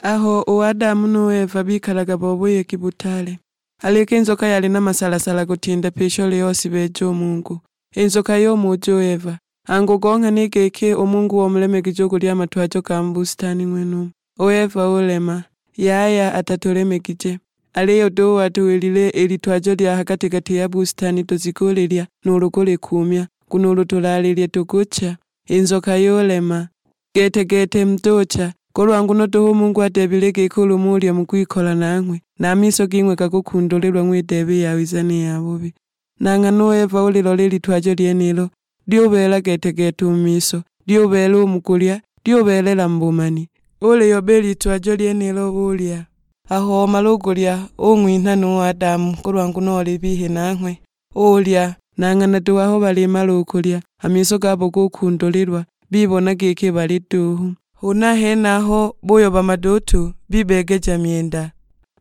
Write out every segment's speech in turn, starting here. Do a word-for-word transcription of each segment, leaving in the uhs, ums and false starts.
Aho u Adamu nu Eva bikalaga bo buyegi butaale, aleke i nzoka yali na masalasala kutinda pyi i shole iyo shibeeja u Mungu. I nzoka yumuja u Eva, angu gong'hana i giki u Mungu wamulemegije u kulya a matwajo ga mu busitani ng'wenumo? U Eva ulema, yaya atatulemegije. Aliyo duhu watuwilile i litwajo lya ha gati-gati ya busitani tuzikulilya, nuulu kulikuumya, nguno ulu tulalilye tukucha. I nzoka yulema, gete-gete mutucha, kulwa nguno duhu u Mungu adeebile giki ulu mulya mukwikola nanghwe, na a miso ging'we gakukundulilwa ng'wideebe i yawiza ni yabubi. Na nghana u Eva ulilola i litwajo lyenilo, lyubeela gete-gete u mu miso, lyubeela u mu kulya, lyubeelela mu bumani. Uliyoba i litwajo lyenilo ulya. Aho omala u kulya, ung'winha nu Adamu, kulwa nguno oli bihi nanghwe. Ulya, na nghana duhu aho balimala u kulya, a miso gabo gukundulilwa, bibona giki bali duhu. Huna henaho buyoba maduutu, bibeegeja myenda,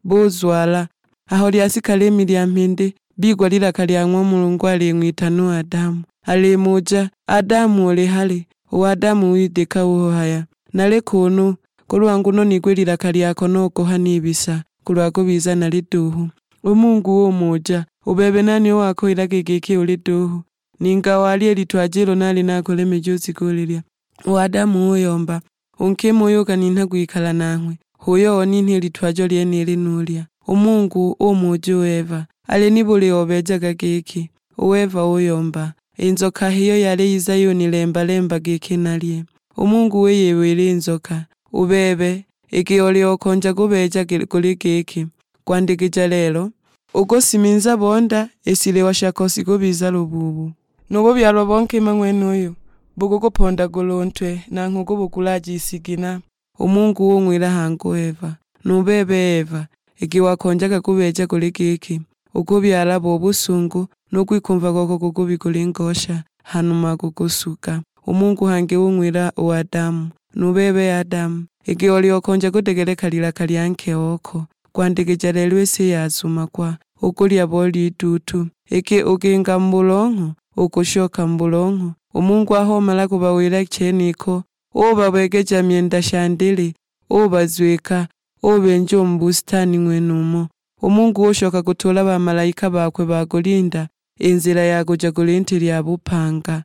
buzwala. Aho lyashika liimi lya mhindi, bigwa lilaka lya ng'wa Mulungu aling'witana u Adamu, alimuja, "Adamu, uli hali?" U Adamu widika uhaya, "Nali kuunu, kulwa nguno nigwa i lilaka lyako nogoha nibisa, kulwa kubiza nali duhu." U Mungu umuja, "U bebe nani uwakuwilaga giki uli duhu? Ninga walya i litwajo ilo nali nakulemeja uzikulilya?" U Adamu uyomba, "U nkima uyo ukaninha kwikala nanghwe, h'uyo oninha i litwajo lyenili nulya." U Mungu umuja u Eva, "Ali nibuli obeejaga giki?" U Eva uyomba, "I nzoka h'iyo yali yiza yunilemba-lemba giki nalye." U Mungu uyibwila i nzoka, "U bebe, iki oli okonja kubeeja guli giki, kwandikija lelo, ukusiminza bo nda, i shiliwa shako shikubiza lubuubu. Nu bubyalwa bo nkima ng'wenuyu bukukupondaga u ntwe, nanghwe ukubukulaaja i shigina." U Mungu ung'wila hangi u Eva, "Nu bebe Eva, iki wakonjaga kubeeja guli giki, ukubyala bo busungu, nu kwikumva kwako kukubi kuli ngosha, hanuma kukusuga." U Mungu hangi ung'wila u Adamu, "Nu bebe Adamu, iki oli okonja kudegeleka lilaka lya nke oko, kwandikija lelo i si yazumagwa, ukulya bo liduutu, iki ukinga mu bulongho, ukushoka mu bulongho." U Mungu aho omala kubawila cheniko, ubabeegeja myenda sha ndili, ubazwika, ubenja u mu busitani ng'wenumo. U Mungu ushoka kutuula bamalaika bakwe ba kulinda i nzila ya kuja ku linti lya bupanga.